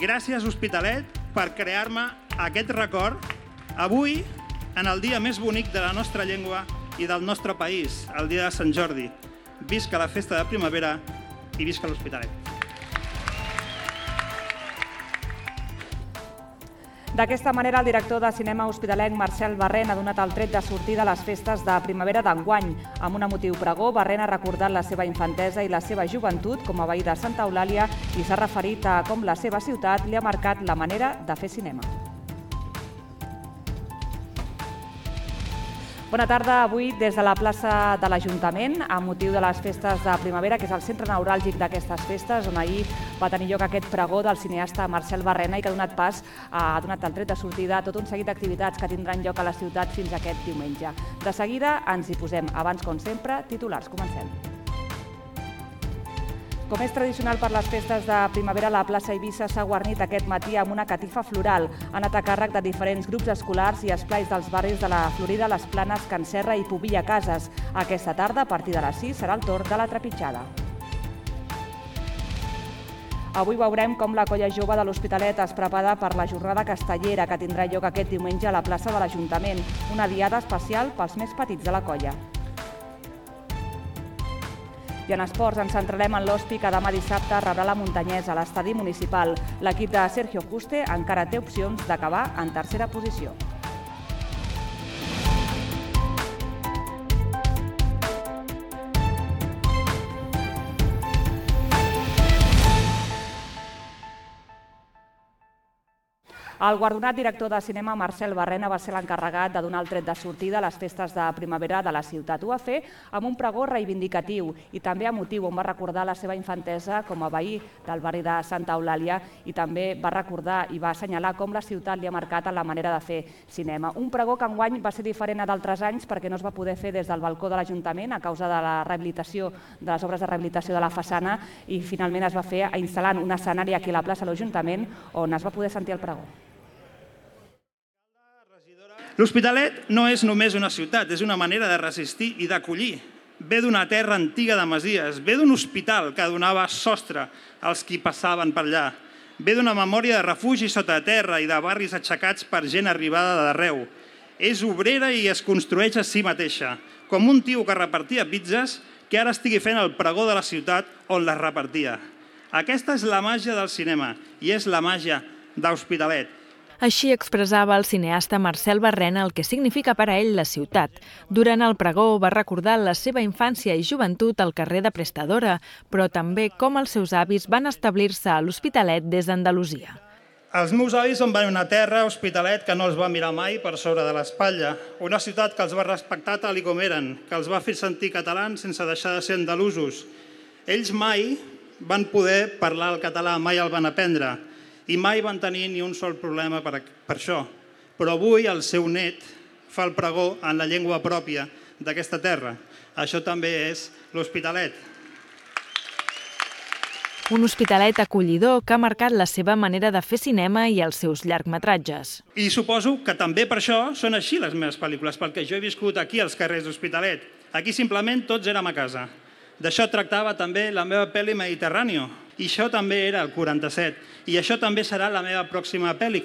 Gràcies, Hospitalet, per crear-me aquest record avui, en el dia més bonic de la nostra llengua i del nostre país, el dia de Sant Jordi. Visca la festa de primavera i visca l'Hospitalet. D'aquesta manera, el director de cinema hospitalenc Marcel Barrén ha donat el tret de sortida a les festes de primavera d'enguany. Amb un emotiu pregó, Barrén ha recordat la seva infantesa i la seva joventut com a veí de Santa Eulàlia i s'ha referit a com la seva ciutat li ha marcat la manera de fer cinema. Bona tarda. Avui, des de la plaça de l'Ajuntament, amb motiu de les festes de primavera, que és el centre neuràlgic d'aquestes festes, on ahir va tenir lloc aquest pregó del cineasta Marcel Barrén i que ha donat el tret de sortida a tot un seguit d'activitats que tindran lloc a la ciutat fins aquest diumenge. De seguida ens hi posem. Abans, com sempre, titulars. Comencem. Com és tradicional per les festes de primavera, la plaça Eivissa s'ha guarnit aquest matí amb una catifa floral. Ha anat a càrrec de diferents grups escolars i esplais dels barris de la Florida, les Planes, Can Serra i Pobilla Cases. Aquesta tarda, a partir de les 6, serà el torn de la trepitjada. Avui veurem com la colla jove de l'Hospitalet es prepara per la jornada castellera que tindrà lloc aquest diumenge a la plaça de l'Ajuntament, una diada especial pels més petits de la colla. I en esports ens centrarem en l'Hospi, que demà dissabte rebrà la Muntanyesa a l'estadi municipal. L'equip de Sergio Juste encara té opcions d'acabar en tercera posició. El guardonat director de cinema Marcel Barrén va ser l'encarregat de donar el tret de sortida a les festes de primavera de la ciutat. Ho va fer amb un pregó reivindicatiu i també emotiu, on va recordar la seva infantesa com a veí del barri de Santa Eulàlia i també va recordar i va assenyalar com la ciutat li ha marcat en la manera de fer cinema. Un pregó que enguany va ser diferent a d'altres anys perquè no es va poder fer des del balcó de l'Ajuntament a causa de la rehabilitació, de les obres de rehabilitació de la façana, i finalment es va fer instal·lant un escenari aquí a la plaça de l'Ajuntament on es va poder sentir el pregó. L'Hospitalet no és només una ciutat, és una manera de resistir i d'acollir. Ve d'una terra antiga de masies, ve d'un hospital que donava sostre als qui passaven per allà, ve d'una memòria de refugi sota terra i de barris aixecats per gent arribada d'arreu. És obrera i es construeix a si mateixa, com un tio que repartia pizzas que ara estigui fent el pregó de la ciutat on les repartia. Aquesta és la màgia del cinema i és la màgia d'Hospitalet. Així expressava el cineasta Marcel Barrén el que significa per a ell la ciutat. Durant el pregó va recordar la seva infància i joventut al carrer de Prestadora, però també com els seus avis van establir-se a l'Hospitalet des d'Andalusia. Els meus avis em van una terra, Hospitalet, que no els va mirar mai per sobre de l'espatlla. Una ciutat que els va respectar tal com eren, que els va fer sentir catalans sense deixar de ser andalusos. Ells mai van poder parlar el català, mai el van aprendre. I mai van tenir ni un sol problema per això. Però avui el seu net fa el pregó en la llengua pròpia d'aquesta terra. Això també és l'Hospitalet. Un Hospitalet acollidor que ha marcat la seva manera de fer cinema i els seus llargmetratges. I suposo que també per això són així les meves pel·lícules, perquè jo he viscut aquí als carrers d'Hospitalet. Aquí simplement tots érem a casa. D'això tractava també la meva pel·li Mediterráneo. I això també era el 47. I això també serà la meva pròxima pel·li,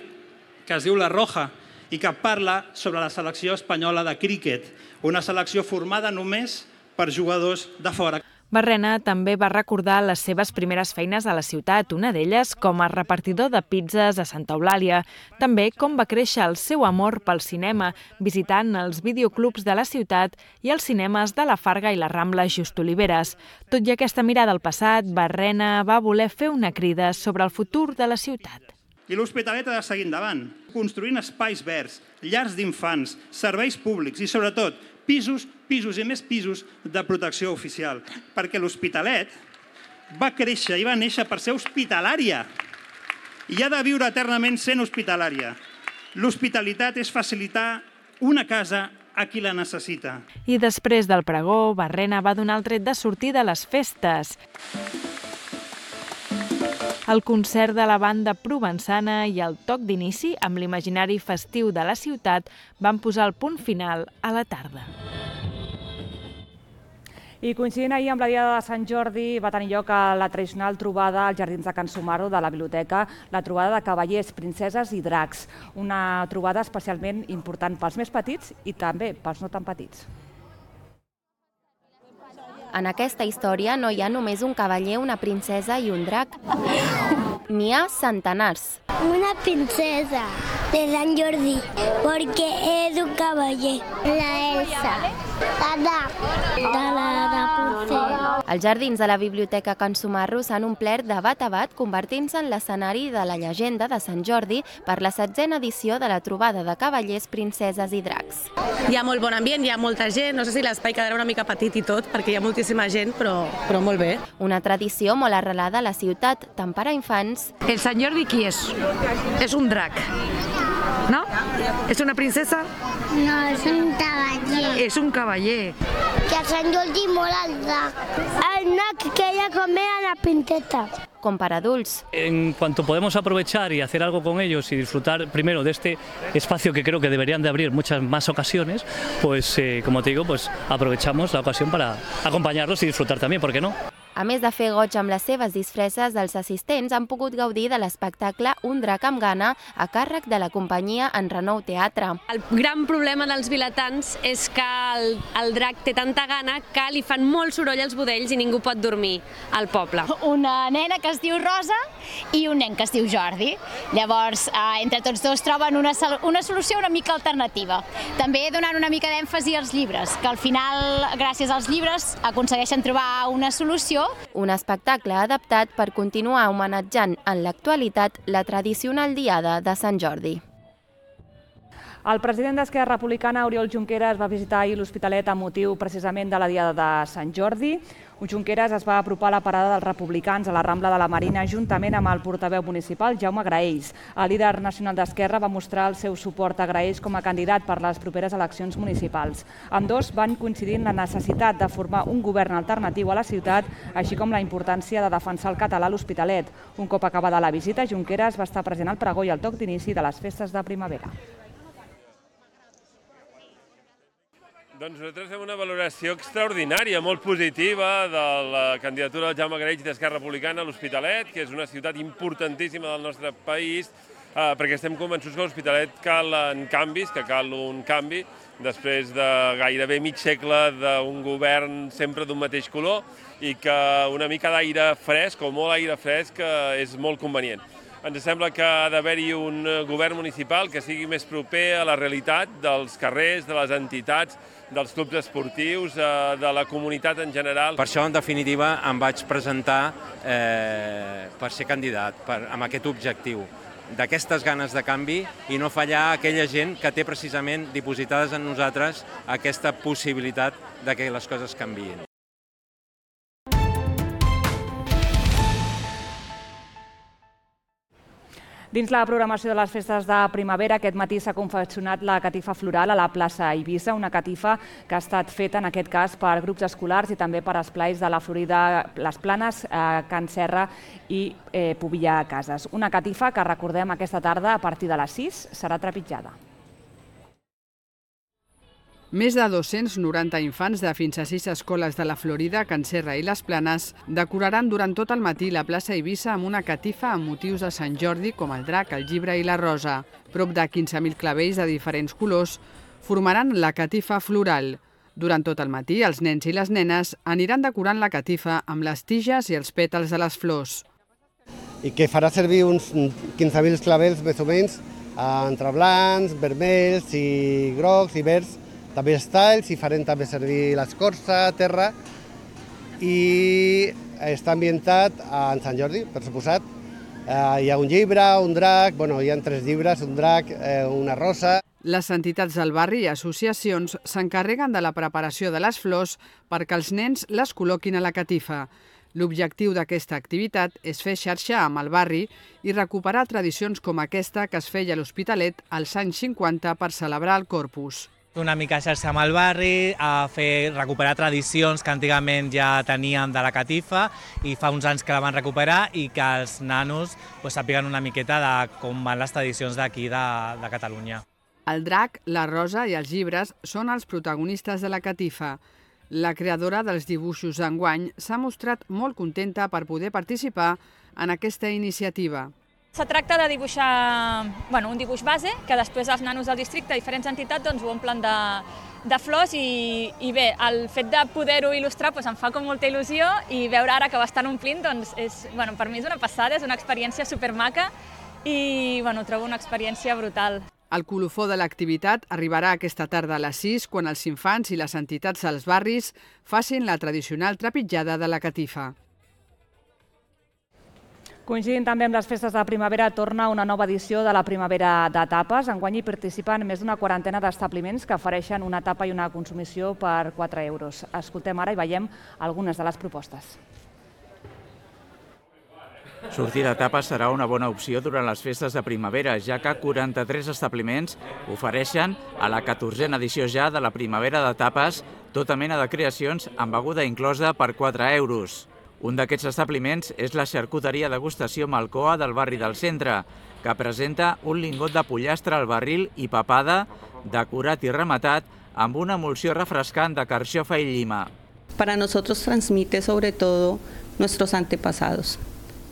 que es diu La Roja, i que parla sobre la selecció espanyola de críquet, una selecció formada només per jugadors de fora. Barrén també va recordar les seves primeres feines a la ciutat, una d'elles com a repartidor de pizzas a Santa Eulàlia. També com va créixer el seu amor pel cinema, visitant els videoclubs de la ciutat i els cinemes de la Farga i la Rambla Just Oliveres. Tot i aquesta mirada al passat, Barrén va voler fer una crida sobre el futur de la ciutat. I l'Hospitalet ha de seguir endavant, construint espais verds, llars d'infants, serveis públics i, sobretot, pisos i més pisos de protecció oficial. Perquè l'Hospitalet va créixer i va néixer per ser hospitalària i ha de viure eternament sent hospitalària. L'hospitalitat és facilitar una casa a qui la necessita. I després del pregó, Barrén va donar el tret de sortida a les festes. El concert de la banda provençana i el toc d'inici amb l'imaginari festiu de la ciutat van posar el punt final a la tarda. I coincidint ahir amb la Diada de Sant Jordi va tenir lloc la tradicional trobada als Jardins de Can Sumarro de la biblioteca, la trobada de cavallers, princeses i dracs. Una trobada especialment important pels més petits i també pels no tan petits. En aquesta història no hi ha només un cavaller, una princesa i un drac. N'hi ha centenars. Una princesa de Sant Jordi, porque es un caballero. La Elsa, la Rapunzel. Els jardins de la Biblioteca Can Sumarro s'han omplert de bat a bat, convertint-se en l'escenari de la llegenda de Sant Jordi per la 7a edició de la trobada de cavallers, princeses i dracs. Hi ha molt bon ambient, hi ha molta gent, no sé si l'espai quedarà una mica petit i tot, perquè hi ha moltíssima gent, però molt bé. Una tradició molt arrelada a la ciutat, tant per a infants... El Sant Jordi qui és? És un drac, no? És una princesa? No, és un cavaller. És un cavaller. Que a Sant Jordi mola el drac. El drac que ella come a la princesa. Com per adults. En cuanto podemos aprovechar y hacer algo con ellos y disfrutar primero de este espacio que creo que deberían de abrir muchas más ocasiones, pues como te digo, pues aprovechamos la ocasión para acompañarlos y disfrutar también, ¿por qué no? A més de fer goig amb les seves disfresses, els assistents han pogut gaudir de l'espectacle Un drac amb gana a càrrec de la companyia En Renou Teatre. El gran problema dels vilatans és que el drac té tanta gana que li fan molt soroll als budells i ningú pot dormir al poble. Una nena que es diu Rosa i un nen que es diu Jordi. Llavors, entre tots dos troben una solució una mica alternativa. També donant una mica d'èmfasi als llibres, que al final, gràcies als llibres, aconsegueixen trobar una solució. Un espectacle adaptat per continuar homenatjant en l'actualitat la tradicional Diada de Sant Jordi. El president d'Esquerra Republicana, Oriol Junqueras, va visitar ahir l'Hospitalet amb motiu precisament de la Diada de Sant Jordi. Junqueras es va apropar a la parada dels republicans a la Rambla de la Marina juntament amb el portaveu municipal, Jaume Graells. El líder nacional d'Esquerra va mostrar el seu suport a Graells com a candidat per les properes eleccions municipals. Ambdós van coincidir en la necessitat de formar un govern alternatiu a la ciutat, així com la importància de defensar el català a l'Hospitalet. Un cop acabada la visita, Junqueras va estar present al pregó i al toc d'inici de les festes de primavera. Doncs nosaltres fem una valoració extraordinària, molt positiva, de la candidatura del Jaume Graells d'Esquerra Republicana a l'Hospitalet, que és una ciutat importantíssima del nostre país, perquè estem convençuts que a l'Hospitalet calen canvis, que cal un canvi, després de gairebé mig segle d'un govern sempre d'un mateix color, i que una mica d'aire fresc, o molt aire fresc, és molt convenient. Ens sembla que ha d'haver-hi un govern municipal que sigui més proper a la realitat dels carrers, de les entitats, dels clubs esportius, de la comunitat en general. Per això, en definitiva, em vaig presentar per ser candidat, amb aquest objectiu, d'aquestes ganes de canvi i no fallar a aquella gent que té precisament dipositades en nosaltres aquesta possibilitat de que les coses canviïn. Dins la programació de les festes de primavera, aquest matí s'ha confeccionat la catifa floral a la plaça Eivissa, una catifa que ha estat feta, en aquest cas, per grups escolars i també per esplais de la Florida, les Planes, Can Serra i Pobilla Cases. Una catifa que, recordem, aquesta tarda, a partir de les 6, serà trepitjada. Més de 290 infants de fins a 6 escoles de la Florida, Can Serra i les Planes decoraran durant tot el matí la plaça Eivissa amb una catifa amb motius de Sant Jordi com el drac, el llibre i la rosa. Prop de 15.000 clavells de diferents colors formaran la catifa floral. Durant tot el matí, els nens i les nenes aniran decorant la catifa amb les tiges i els pètals de les flors. I que farà servir uns 15.000 clavells més o menys entre blancs, vermells i grocs i verds, també els talls, i farem també servir l'escorça, terra, i està ambientat en Sant Jordi, per suposat. Hi ha un llibre, un drac, hi ha 3 llibres, un drac, una rosa. Les entitats del barri i associacions s'encarreguen de la preparació de les flors perquè els nens les col·loquin a la catifa. L'objectiu d'aquesta activitat és fer xarxa amb el barri i recuperar tradicions com aquesta que es feia a l'Hospitalet als anys 50 per celebrar el Corpus. Una mica xarxa amb el barri, a recuperar tradicions que antigament ja teníem de la catifa i fa uns anys que la van recuperar i que els nanos sàpiguen una miqueta de com van les tradicions d'aquí de Catalunya. El drac, la rosa i els llibres són els protagonistes de la catifa. La creadora dels dibuixos d'enguany s'ha mostrat molt contenta per poder participar en aquesta iniciativa. Se tracta de dibuixar un dibuix base, que després els nanos del districte, diferents entitats, ho omplen de flors i bé, el fet de poder-ho il·lustrar em fa com molta il·lusió i veure ara que ho estan omplint, per mi és una passada, és una experiència supermaca i trobo una experiència brutal. El colofó de l'activitat arribarà aquesta tarda a les 6 quan els infants i les entitats dels barris facin la tradicional trepitjada de la catifa. Coincidint també amb les festes de primavera, torna una nova edició de la Primavera de Tapes. Enguany hi participen més d'una quarantena d'establiments que ofereixen una tapa i una consumició per 4 euros. Escoltem ara i veiem algunes de les propostes. Sortir de tapes serà una bona opció durant les festes de primavera, ja que 43 establiments ofereixen a la 14a edició ja de la Primavera de Tapes tota mena de creacions amb beguda inclosa per 4 euros. Un d'aquests establiments és la xarcuteria degustació Malcoa del barri del centre, que presenta un lingot de pollastre al barril i papada, decorat i rematat amb una emulsió refrescant de carxofa i llima. Para nosotros transmite sobre todo nuestros antepasados.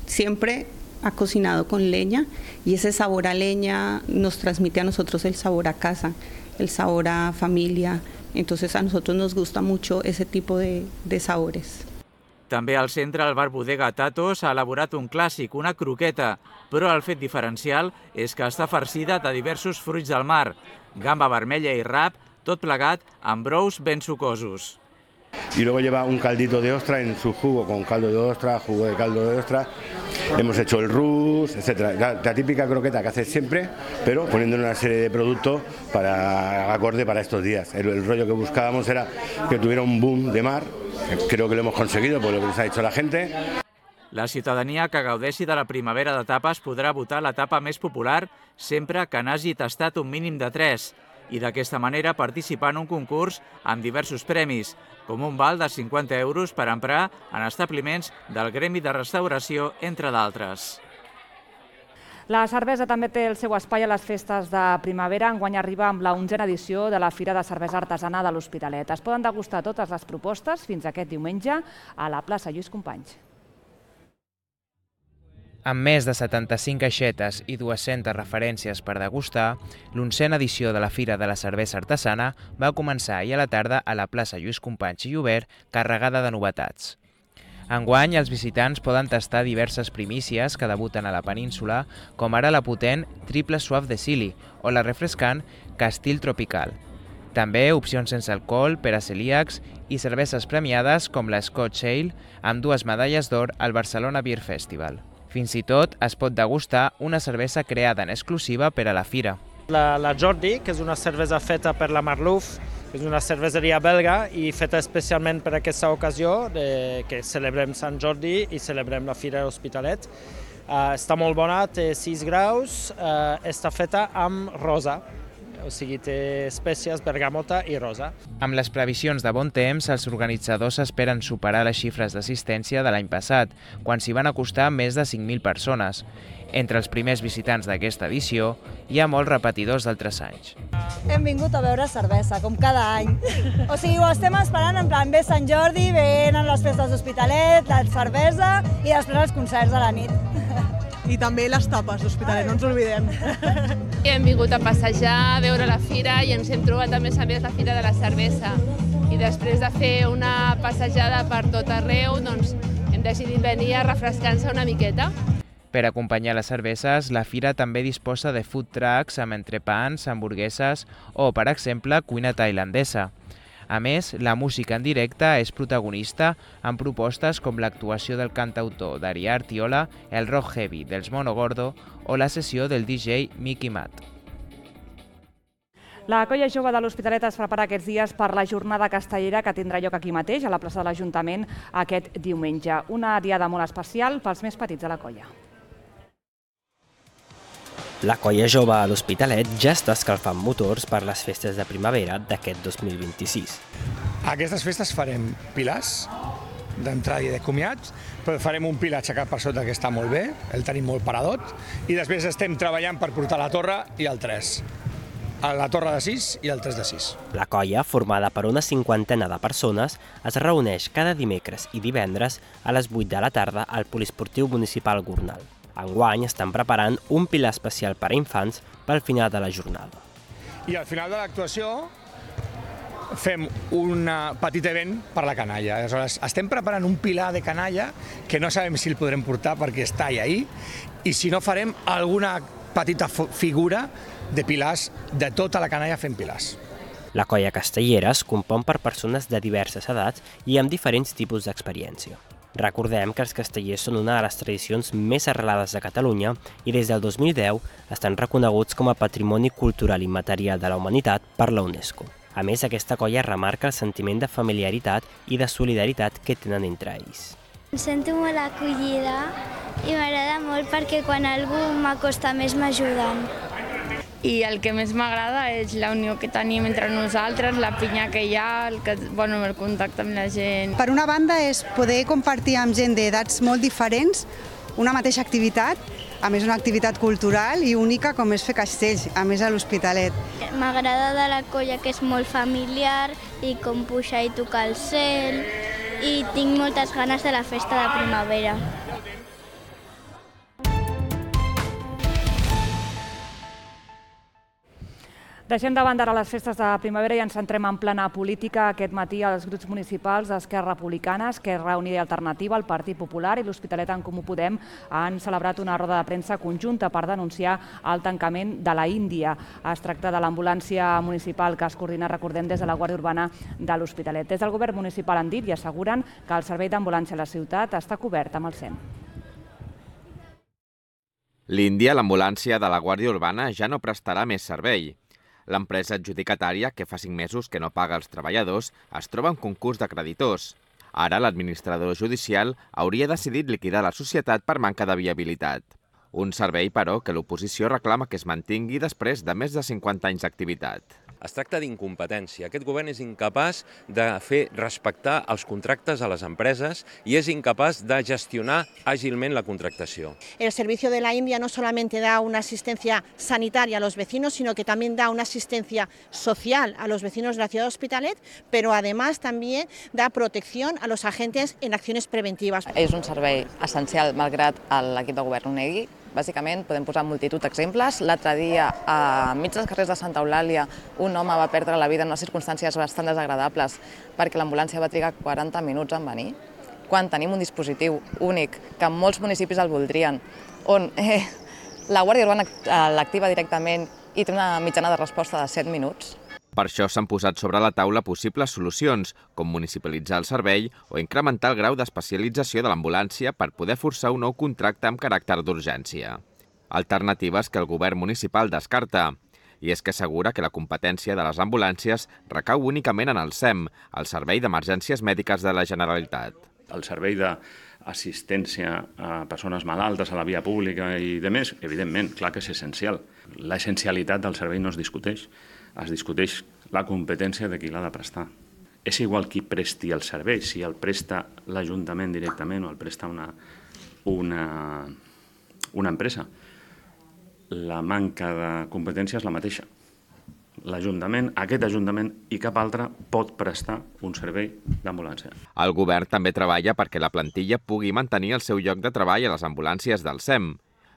Siempre ha cocinado con leña y ese sabor a leña nos transmite a nosotros el sabor a casa, el sabor a familia. Entonces a nosotros nos gusta mucho ese tipo de sabores. També al centre el bar Bodega Tatos ha elaborat un clàssic, una croqueta, però el fet diferencial és que està farcida de diversos fruits del mar, gamba vermella i rap, tot plegat amb brous ben sucosos. Y luego lleva un caldito de ostra en su jugo, con caldo de ostra, jugo de caldo de ostra. Hemos hecho el rus, etc. La típica croqueta que haces siempre, pero poniendo una serie de productos acorde para estos días. El rollo que buscábamos era que tuviera un boom de mar. Creo que lo hemos conseguido por lo que nos ha dicho la gente. La ciutadania que gaudeixi de la Primavera de Tapes podrà votar la tapa més popular sempre que n'hagi tastat un mínim de 3 i d'aquesta manera participar en un concurs amb diversos premis, com un val de 50 euros per emprar en establiments del Gremi de Restauració, entre d'altres. La cervesa també té el seu espai a les festes de primavera. Enguany arriba amb la 11a edició de la Fira de Cervesa Artesana de l'Hospitalet. Es poden degustar totes les propostes fins aquest diumenge a la plaça Lluís Companys. Amb més de 75 caixetes i 200 referències per degustar, l'11a edició de la Fira de la Cervesa Artesana va començar ahir a la tarda a la plaça Lluís Companys i Llobert, carregada de novetats. Enguany, els visitants poden tastar diverses primícies que debuten a la península, com ara la potent Triple Suave de Silly o la refrescant Castile Tropical. També opcions sense alcohol per a celíacs i cerveses premiades com la Scotch Ale, amb 2 medalles d'or al Barcelona Beer Festival. Fins i tot es pot degustar una cervesa creada en exclusiva per a la fira. La Jordi, que és una cervesa feta per la Marlouf, que és una cerveseria belga i feta especialment per aquesta ocasió, que celebrem Sant Jordi i celebrem la Fira de l'Hospitalet. Està molt bona, té 6 graus, està feta amb rosa, o sigui, té espècies, bergamota i rosa. Amb les previsions de bon temps, els organitzadors esperen superar les xifres d'assistència de l'any passat, quan s'hi van acostar més de 5.000 persones. Entre els primers visitants d'aquesta edició hi ha molts repetidors d'altres anys. Hem vingut a beure cervesa, com cada any. O sigui, ho estem esperant, en plan, ve Sant Jordi, venen les festes d'Hospitalet, la cervesa i després els concerts de la nit. I també les tapes d'Hospitalet, no ens oblidem. Hem vingut a passejar, a veure la fira i ens hem trobat a més la Fira de la Cervesa. I després de fer una passejada per tot arreu, doncs hem decidit venir a refrescar-se una miqueta. Per acompanyar les cerveses, la fira també disposa de food trucks amb entrepans, hamburgueses o, per exemple, cuina tailandesa. A més, la música en directe és protagonista amb propostes com l'actuació del cantautor Daria Artiola, el rock heavy dels Mono Gordo o la sessió del DJ Mickey Matt. La Colla Jove de l'Hospitalet es prepara aquests dies per la jornada castellera que tindrà lloc aquí mateix, a la plaça de l'Ajuntament, aquest diumenge. Una diada molt especial pels més petits de la colla. La Colla Jove a l'Hospitalet ja està escalfant motors per les festes de primavera d'aquest 2026. A aquestes festes farem pilars d'entrada i de comiats, però farem un pilar aixecat per sota que està molt bé, el tenim molt paradot, i després estem treballant per portar la torre i el 3. la Torre de 6 i el 3 de 6. La colla, formada per una 50ena de persones, es reuneix cada dimecres i divendres a les 8 de la tarda al Poliesportiu Municipal Gornal. Enguany estan preparant un pilar especial per a infants pel final de la jornada. I al final de l'actuació fem un petit event per la canalla. Aleshores, estem preparant un pilar de canalla que no sabem si el podrem portar perquè està ahí, i si no farem alguna petita figura de pilars, de tota la canalla fent pilars. La colla castellera es compon per persones de diverses edats i amb diferents tipus d'experiència. Recordem que els castellers són una de les tradicions més arrelades de Catalunya i des del 2010 estan reconeguts com a Patrimoni Cultural Immaterial de la Humanitat per la UNESCO. A més, aquesta colla remarca el sentiment de familiaritat i de solidaritat que tenen entre ells. Em sento molt acollida i m'agrada molt perquè quan algú m'acosta més m'ajuden. I el que més m'agrada és la unió que tenim entre nosaltres, la pinya que hi ha, el contacte amb la gent. Per una banda és poder compartir amb gent d'edats molt diferents una mateixa activitat, a més una activitat cultural i única com és fer castells, a més a l'Hospitalet. M'agrada de la colla que és molt familiar i com pujar i tocar el cel, i tinc moltes ganes de la festa de primavera. Deixem de banda ara les festes de primavera i ens centrem en plana política. Aquest matí els grups municipals d'Esquerra Republicana, Esquerra Unida i Alternativa, el Partit Popular i l'Hospitalet en Comú Podem han celebrat una roda de premsa conjunta per denunciar el tancament de la Índia. Es tracta de l'ambulància municipal que es coordina, recordem, des de la Guàrdia Urbana de l'Hospitalet. Des del govern municipal han dit i asseguren que el servei d'ambulància a la ciutat està cobert amb el SEM. L'Índia, l'ambulància de la Guàrdia Urbana, ja no prestarà més servei. L'empresa adjudicatària, que fa 5 mesos que no paga als treballadors, es troba en concurs de creditors. Ara l'administrador judicial hauria decidit liquidar la societat per manca de viabilitat. Un servei, però, que l'oposició reclama que es mantingui després de més de 50 anys d'activitat. Es tracta d'incompetència. Aquest govern és incapaç de fer respectar els contractes a les empreses i és incapaç de gestionar àgilment la contractació. El servicio de la India no solamente da una asistencia sanitaria a los vecinos, sino que también da una asistencia social a los vecinos de la ciudad de Hospitalet, pero además también da protección a los agentes en acciones preventivas. És un servei essencial, malgrat l'equip de govern ho negui. Bàsicament, podem posar multitud d'exemples. L'altre dia, enmig dels carrers de Santa Eulàlia, un home va perdre la vida en unes circumstàncies bastant desagradables perquè l'ambulància va trigar 40 minuts en venir, quan tenim un dispositiu únic que molts municipis el voldrien, on la Guàrdia Urbana l'activa directament i té una mitjana de resposta de 7 minuts. Per això s'han posat sobre la taula possibles solucions, com municipalitzar el servei o incrementar el grau d'especialització de l'ambulància per poder forçar un nou contracte amb caràcter d'urgència. Alternatives que el govern municipal descarta. I és que assegura que la competència de les ambulàncies recau únicament en el SEM, el Servei d'Emergències Mèdiques de la Generalitat. El servei d'assistència a persones malaltes a la via pública i demés, evidentment, clar que és essencial. L'essencialitat del servei no es discuteix. Es discuteix la competència de qui l'ha de prestar. És igual qui presti el servei, si el presta l'Ajuntament directament o el presta una empresa. La manca de competència és la mateixa. L'Ajuntament, aquest Ajuntament i cap altre pot prestar un servei d'ambulància. El govern també treballa perquè la plantilla pugui mantenir el seu lloc de treball a les ambulàncies del SEM.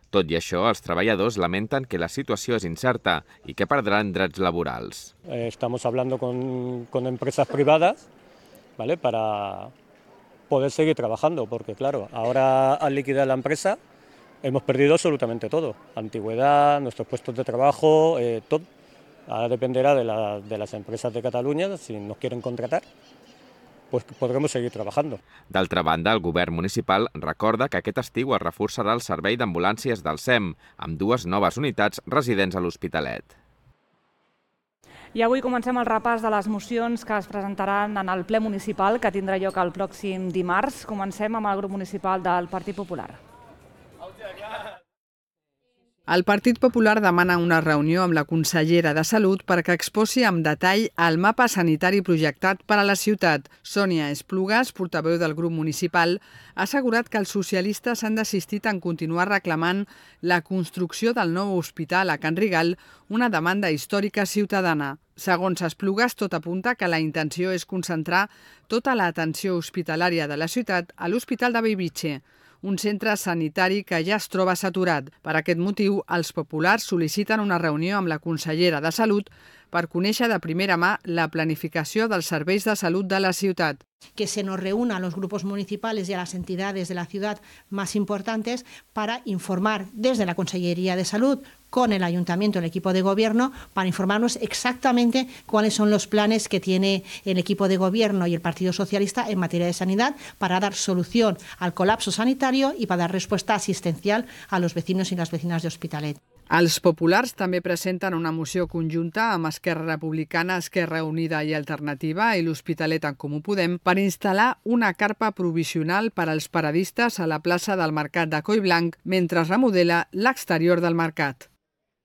Tot i això, els treballadors lamenten que la situació és incerta i que perdran drets laborals. Estamos hablando con empresas privadas, ¿vale? Para poder seguir trabajando, porque claro, ahora al liquidar la empresa hemos perdido absolutamente todo. Antigüedad, nuestros puestos de trabajo, todo. Ahora dependerá de las empresas de Cataluña, si nos quieren contratar, pues podremos seguir trabajando. D'altra banda, el govern municipal recorda que aquest estiu es reforçarà el servei d'ambulàncies del SEM, amb 2 noves unitats residents a l'Hospitalet. I avui comencem el repàs de les mocions que es presentaran en el ple municipal que tindrà lloc el pròxim dimarts. Comencem amb el grup municipal del Partit Popular. El Partit Popular demana una reunió amb la consellera de Salut perquè exposi amb detall el mapa sanitari projectat per a la ciutat. Sònia Esplugas, portaveu del grup municipal, ha assegurat que els socialistes han desistit en continuar reclamant la construcció del nou hospital a Can Rigal, una demanda històrica ciutadana. Segons Esplugas, tot apunta que la intenció és concentrar tota l'atenció hospitalària de la ciutat a l'Hospital de Bellvitge, un centre sanitari que ja es troba saturat. Per aquest motiu, els populars sol·liciten una reunió amb la consellera de Salut per conèixer de primera mà la planificació dels serveis de salut de la ciutat. Que se nos reúnan los grupos municipales y a las entidades de la ciudad más importantes para informar desde la Consellería de Salud con el Ayuntamiento, el equipo de gobierno, para informarnos exactamente cuáles son los planes que tiene el equipo de gobierno y el Partido Socialista en materia de sanidad para dar solución al colapso sanitario y para dar respuesta asistencial a los vecinos y las vecinas de Hospitalet. Els populars també presenten una moció conjunta amb Esquerra Republicana, Esquerra Unida i Alternativa i l'Hospitalet en Comú Podem per instal·lar una carpa provisional per als paradistes a la plaça del Mercat de Collblanc mentre es remodela l'exterior del mercat.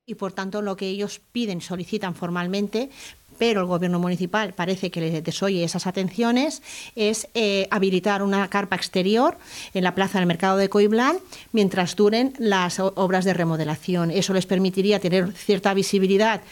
Y por tanto lo que ellos piden, solicitan formalmente, pero el gobierno municipal parece que les desoye esas atenciones, es habilitar una carpa exterior en la plaza del Mercado de Collblanc mientras duren las obras de remodelación. Eso les permitiría tener cierta visibilidad,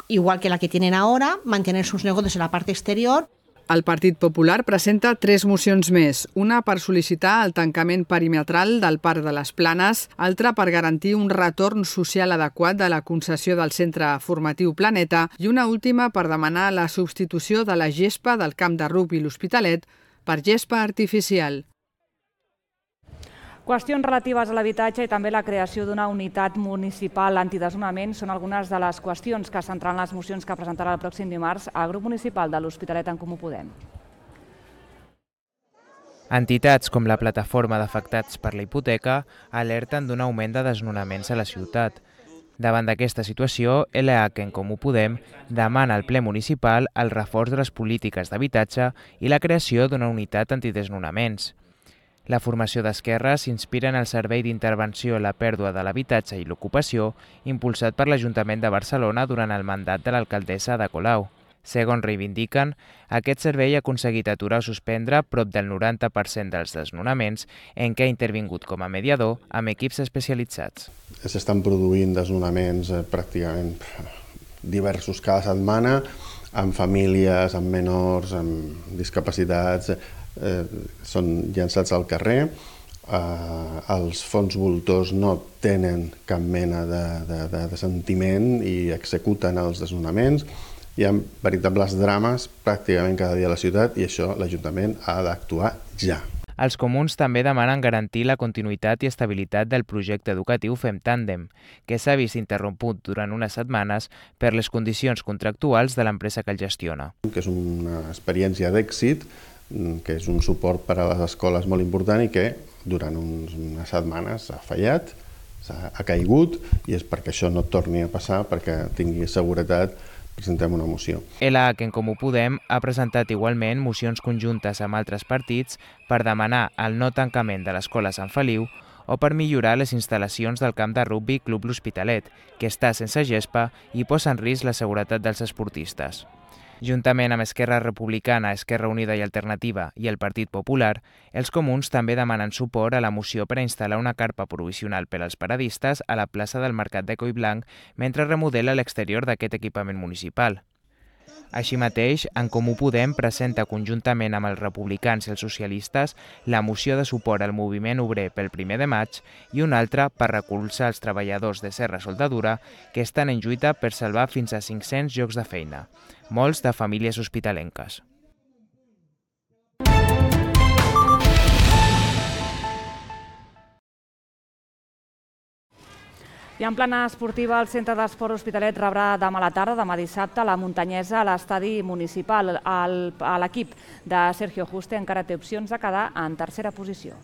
igual que la que tienen ahora, mantener sus negocios en la parte exterior. El Partit Popular presenta 3 mocions més, una per sol·licitar el tancament perimetral del Parc de les Planes, altra per garantir un retorn social adequat de la concessió del centre formatiu Planeta i una última per demanar la substitució de la gespa del camp de rugbi i l'Hospitalet per gespa artificial. Qüestions relatives a l'habitatge i també la creació d'una unitat municipal antidesnonament són algunes de les qüestions que centraran les mocions que presentarà el pròxim dimarts al grup municipal de l'Hospitalet en Comú Podem. Entitats com la Plataforma d'Afectats per la Hipoteca alerten d'un augment de desnonaments a la ciutat. Davant d'aquesta situació, LH en Comú Podem demana al ple municipal el reforç de les polítiques d'habitatge i la creació d'una unitat antidesnonaments. La formació d'Esquerra s'inspira en el servei d'intervenció a la pèrdua de l'habitatge i l'ocupació impulsat per l'Ajuntament de Barcelona durant el mandat de l'alcaldessa Ada Colau. Segons reivindiquen, aquest servei ha aconseguit aturar o suspendre prop del 90% dels desnonaments en què ha intervingut com a mediador amb equips especialitzats. S'estan produint desnonaments pràcticament diversos cada setmana, amb famílies, amb menors, amb discapacitats, són llançats al carrer. Els fons voltors no tenen cap mena de sentiment i executen els desnonaments. Hi ha veritables drames pràcticament cada dia a la ciutat i això l'Ajuntament ha d'actuar ja. Els comuns també demanen garantir la continuïtat i estabilitat del projecte educatiu Fem Tàndem, que s'ha vist interromput durant unes setmanes per les condicions contractuals de l'empresa que el gestiona. Que és una experiència d'èxit, que és un suport per a les escoles molt important i que durant unes setmanes ha fallat, ha caigut i és perquè això no torni a passar, perquè tingui seguretat, presentem una moció. LH en Comú Podem ha presentat igualment mocions conjuntes amb altres partits per demanar el no tancament de l'escola Sant Feliu o per millorar les instal·lacions del camp de rugbi Club L'Hospitalet, que està sense gespa i posa en risc la seguretat dels esportistes. Juntament amb Esquerra Republicana, Esquerra Unida i Alternativa i el Partit Popular, els comuns també demanen suport a la moció per a instal·lar una carpa provisional per als paradistes a la plaça del Mercat de Collblanc mentre remodela l'exterior d'aquest equipament municipal. Així mateix, en Comú Podem presenta conjuntament amb els republicans i els socialistes la moció de suport al moviment obrer pel 1 de maig i una altra per recolzar els treballadors de Serra Soldadura que estan en lluita per salvar fins a 500 llocs de feina, molts de famílies hospitalenques. I en plana esportiva, el Centre d'Esport Hospitalet rebrà demà a la tarda, demà dissabte, la Muntanyesa a l'estadi municipal. L'equip de Sergio Juste encara té opcions de quedar en tercera posició.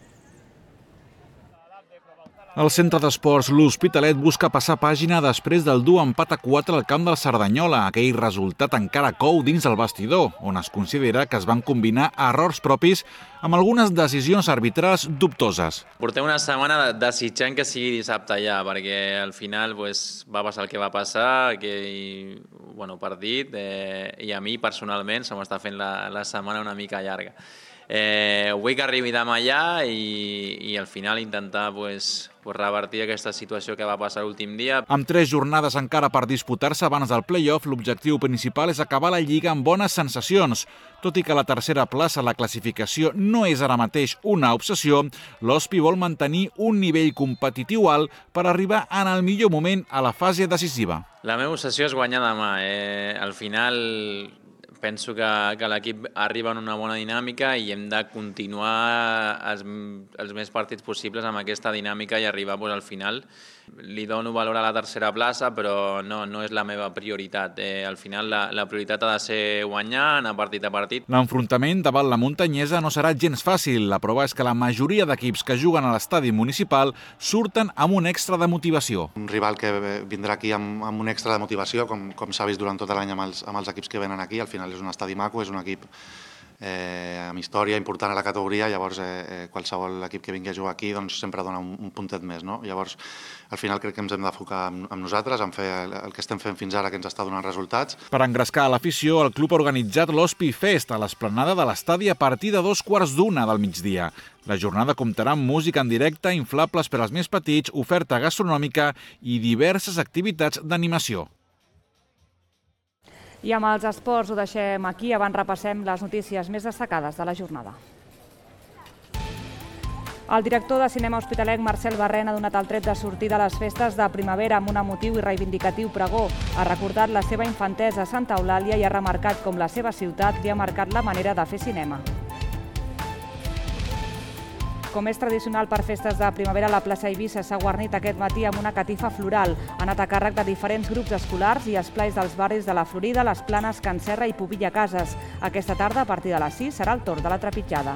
El centre d'esports L'Hospitalet busca passar pàgina després del dur empat a 4 al camp del Cerdanyola. Aquell resultat encara cou dins del vestidor, on es considera que es van combinar errors propis amb algunes decisions arbitrals dubtoses. Portem una setmana desitjant que sigui dissabte ja, perquè al final va passar el que va passar, aquell partit, i a mi personalment se m'està fent la setmana una mica llarga. Vull que arribi demà ja i al final intentar revertir aquesta situació que va passar l'últim dia. Amb 3 jornades encara per disputar-se abans del play-off, l'objectiu principal és acabar la Lliga amb bones sensacions. Tot i que la tercera plaça a la classificació no és ara mateix una obsessió, l'Hospi vol mantenir un nivell competitiu alt per arribar en el millor moment a la fase decisiva. La meva obsessió és guanyar demà. Al final penso que l'equip arriba en una bona dinàmica i hem de continuar els més partits possibles amb aquesta dinàmica i arribar al final. Li dono valor a la tercera plaça, però no és la meva prioritat. Al final la prioritat ha de ser guanyar, anar partit a partit. L'enfrontament davant la muntanyesa no serà gens fàcil. La prova és que la majoria d'equips que juguen a l'estadi municipal surten amb un extra de motivació. Un rival que vindrà aquí amb un extra de motivació, com s'ha vist durant tot l'any amb els equips que venen aquí. Al final és un estadi maco, és un equip amb història important a la categoria, llavors qualsevol equip que vingui a jugar aquí sempre dona un puntet més. Llavors, al final crec que ens hem d'enfocar amb nosaltres, en fer el que estem fent fins ara, que ens està donant resultats. Per engrescar a l'afició, el club ha organitzat l'Hospi Fest a l'esplanada de l'estadi a partir de 2:15 del migdia. La jornada comptarà amb música en directe, inflables per als més petits, oferta gastronòmica i diverses activitats d'animació. I amb els esports ho deixem aquí, abans repassem les notícies més destacades de la jornada. El director de Cinema Hospitalet, Marcel Barrena, ha donat el tret de sortida a les festes de primavera amb un emotiu i reivindicatiu pregó. Ha recordat la seva infantesa a Santa Eulàlia i ha remarcat com la seva ciutat li ha marcat la manera de fer cinema. Com és tradicional per festes de primavera, la plaça Eivissa s'ha guarnit aquest matí amb una catifa floral. Ha anat a càrrec de diferents grups escolars i esplais dels barris de la Florida, les Planes, Can Serra i Pobilla Cases. Aquesta tarda, a partir de les 6, serà el torn de la trepitjada.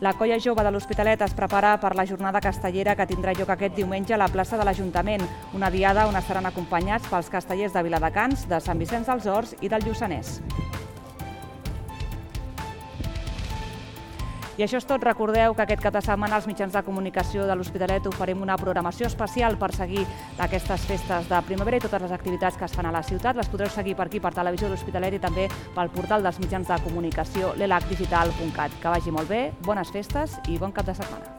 La colla jove de l'Hospitalet es prepara per la jornada castellera que tindrà lloc aquest diumenge a la plaça de l'Ajuntament, una diada on estaran acompanyats pels castellers de Viladecans, de Sant Vicenç dels Horts i del Lluçanès. I això és tot. Recordeu que aquest cap de setmana als mitjans de comunicació de l'Hospitalet oferim una programació especial per seguir aquestes festes de primavera i totes les activitats que es fan a la ciutat. Les podreu seguir per aquí, per Televisió de l'Hospitalet i també pel portal dels mitjans de comunicació lelacdigital.cat. Que vagi molt bé, bones festes i bon cap de setmana.